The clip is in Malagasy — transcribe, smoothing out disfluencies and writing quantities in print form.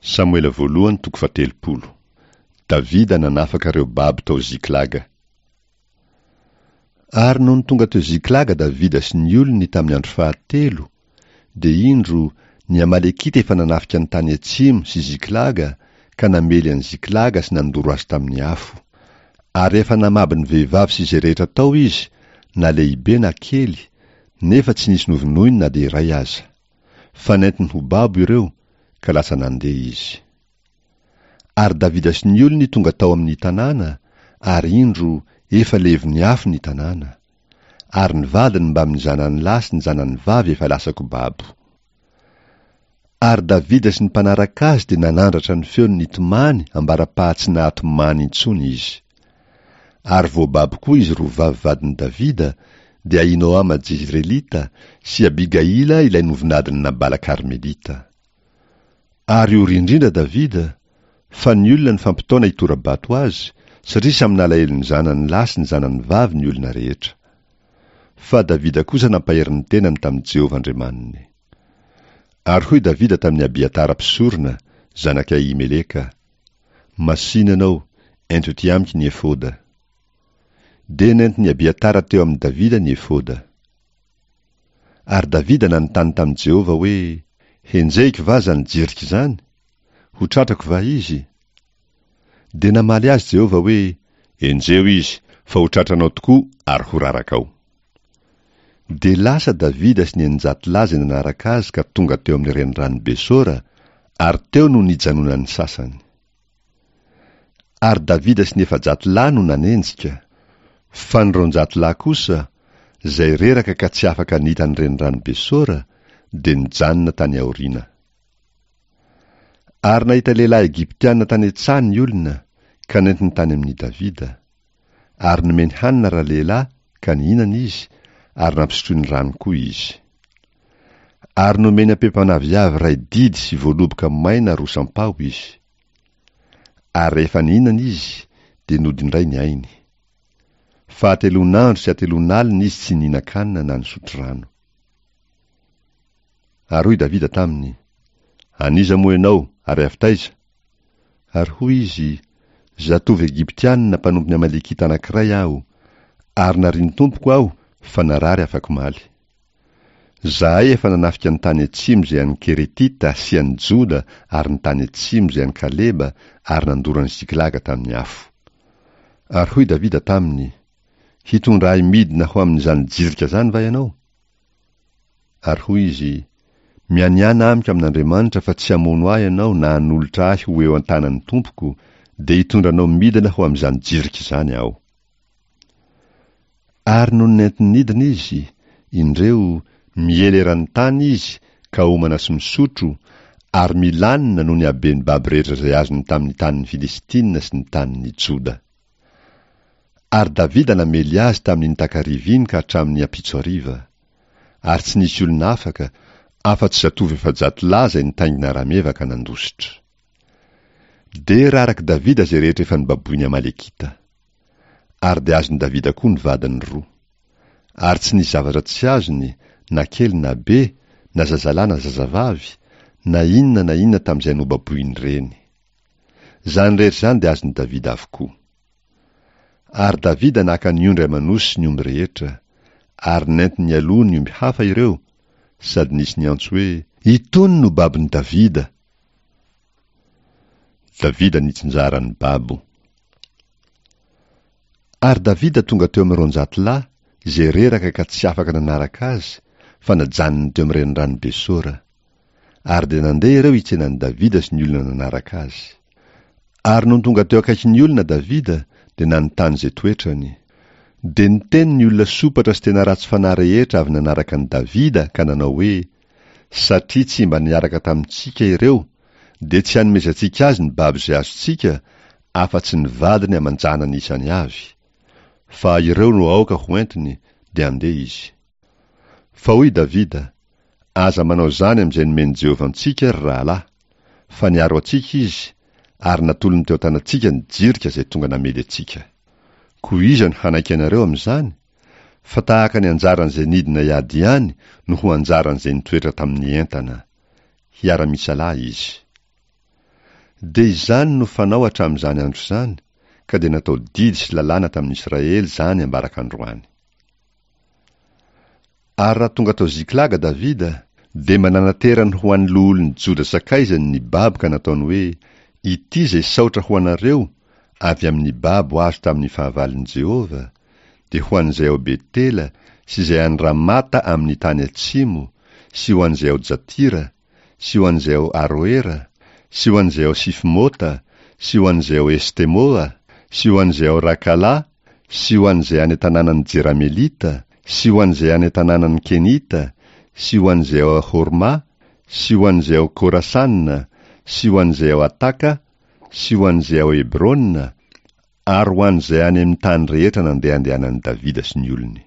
Samoela voalohany toko fahatelopolo. Davida nanafaka ireo babo tao Ziklaga. Ary nony tonga teo Ziklaga Davida sy ny olony tamin'ny andro fahatelo, dia indro, ny Amalekita efa nanafika ny tany atsimo sy Ziklaga ka namely an'i Ziklaga sy nandoro azy tamin'ny afo. Ary efa namabo ny vehivavy sy izay rehetra tao izy, na lehibe na kely, nefa tsy nisy novonoiny na dia iray aza. Fa nentiny ho babo ireo, ka lasa nandeha izy. Ary Davida sy ny olony tonga tao amin' ny tanàna, ary indro, efa levon' ny afo ny tanàna. Ary ny vadiny mbamin' ny zanany lahy sy ny zanany vavy efa lasa-ko babo. Ary Davida sy ny mpanaraka azy dia nanandratra ny feony nitomany ambara-paha tsy nahatomany intsony izy. Ary voababo koa izy roa vavy vadin'i Davida, dia Ahinoama Jezirelita sy Abigaila ilay novinadin'i Nabala Karmelita. Ary ory indrindra Davida, fa ny olona nifampitaona hitora-bato azy, satria samy nalahelo ny zanany lahy sy ny zanany vavy ny olona rehetra. Fa Davida kosa nampahery ny tenany tamin'i Jehovah Andriamaniny. Ary hoy Davida tamin'i Abiatara mpisorona, zanak'i Ahimeleka, Masìna ianao, ento etỳ amiko ny efoda. Dia nentin'i Abiatara teo amin'i Davida ny efoda. Ary Davida nanontany tamin'i Jehovah hoe, Henjehiko va izany jirika izany? Ho tratrako va izy? Dia namaly azy Jehovah hoe, Enjeho izy, fa ho tratranao tokoa ary ho rarakao. Dia lasa Davida sy ny 600 lahy izay nanaraka azy ka tonga teo amin'ny reniranon'i Besora, ary teo no nijanonan'ny sasany. Ary Davida sy ny 400 lahy no nanenjika, fa ny 200 lahy kosa, izay reraka ka tsy afaka nita ny reniranon'i Besora, dia nijanona tany aoriana. Ary nahita lehilahy egyptiana tany an-tsaha ny olona, ka nentiny tany amin'i Davida. Ary nomeny hanina ralehilahy, ka nihinana izy, ary nampisotroiny rano koa izy. Ary nomeny ampempan'aviavy iray didy sy voaloboka maina roa sampaho izy. Ary rehefa nihinana izy, dia nody indray ny ainy. Fa hatelon'andro sy hatelon'alina izy tsy nihinan-kanina na nisotro rano. Ary hoy Davida taminy, An'iza moa ianao, ary avy taiza? Ary hoy izy, Zatovo Egyptiana mpanompon'ny Amalekita anankiray aho, ary narian'ny tompoko aho, fa narary afak'omaly. Izahay efa nanafika ny tany atsimo izay an'ny Keretita sy an'i Joda ary ny tany atsimo izay an'i Kaleba ary nandoro an'i Ziklaga tamin'ny afo. Ary hoy Davida taminy, Hitondra ahy midina ho amin'izany jirika izany va ianao? Ary hoy izy, Mianiàna amiko amin'Andriamanitra fa tsy hamono ahy ianao na hanolotra ahy ho eo an-tanan'ny tompoko, dia hitondra anao midina ho amin'izany jirika izany aho. Ary nony nentiny nidina izy, indreo, miely eran'ny tany izy ka homana sy misotro, ary milanona noho ny haben'ny babo rehetra izay azony tamin'ny tanin'ny Filistina sy ny tanin'i Joda. Ary Davida namely azy tamin'iny takariva iny ka hatramin'ny ampitso hariva. Ary tsy nisy olona afaka, afa-tsy zatovo 400 lahy izay nitaingina rameva ka nandositra. Dia rarak'i Davida izay rehetra efa nobaboin'ny Amalekita. Ary dia azon'i Davida koa ny vadiny roa. Ary tsy nisy zavatra tsy azony, na kely na be, na zazalahy na zazavavy, na inona na inona tamin'izay nobaboin'ireny. Izany rehetra izany dia azon'i Davida avokoa. Ary Davida naka ny ondry aman'osy sy ny omby rehetra, ary nentiny nialoha ny omby hafa ireo, sady nisy niantso hoe, Itony no babon'i Davida! Davida nitsinjara ny babo. Ary Davida tonga teo amin'ny 200 lahy, izay reraka ka tsy afaka nanaraka azy, fa najanony teo amin'ny renirano Besora. Ary dia nandeha ireo hitsena an'i Davida sy ny olona nanaraka azy. Ary nony tonga teo akaikin'ny olona Davida, dia nanontany izay toetrany. Dia niteny ny olona sompatra sy tena ratsy fanahy rehetra avy nanaraka an'i Davida ka nanao hoe, Satria tsy mba niaraka tamintsika ireo, dia tsy hanomezantsika azy ny babo izay azontsika, afa-tsy ny vadiny aman-janany isany avy. Fa ireo no aoka ho entiny, dia andeha izy. Fa hoy Davida, Aza manao izany amin'izay nomen'i Jehovah antsika, ry rahalahy, fa niaro antsika izy, ary natolony teo an-tanantsika ny jirika izay tonga namely antsika. Koa iza no hanaiky anareo amin'izany? Fa tahaka ny anjaran'izay nidina hiady ihany no ho anjaran'izay nitoetra tamin'ny entana. Hiara-misalahy izy. Dia izany no fanao hatramin'izany andro izany, ka dia natao didy sy lalàna tamin'ny Israely izany ambaraka androany. Ary raha tonga tao Ziklaga Davida, dia mba nanaterany ho an'ny loholon'i Joda sakaizany ny babo ka nataony hoe, Ity izay saotra ho anareo avy amin'ny babo azo tamin'ny fahavalon'i Jehovah, dia ho an'izay ao Betela sy izay any Ramata amin'ny tany atsimo, sy ho an'izay ao Jatira, sy ho an'izay ao Aroera, sy ho an'izay ao Sifmota, sy ho an'izay ao Estemoa, sy ho an'izay ao Rakala, sy ho an'izay any an-tanànan'ny Jeramelita, sy ho an'izay any an-tanànan'ny Kenita, sy ho an'izay ao Horma, sy ho an'izay ao Korasana, sy ho an'izay ao Ataka, sy ho an'izay ao Hebrona, ary ho an'izay any amin'ny tany rehetra nandehandehanan'i Davida sy ny olony.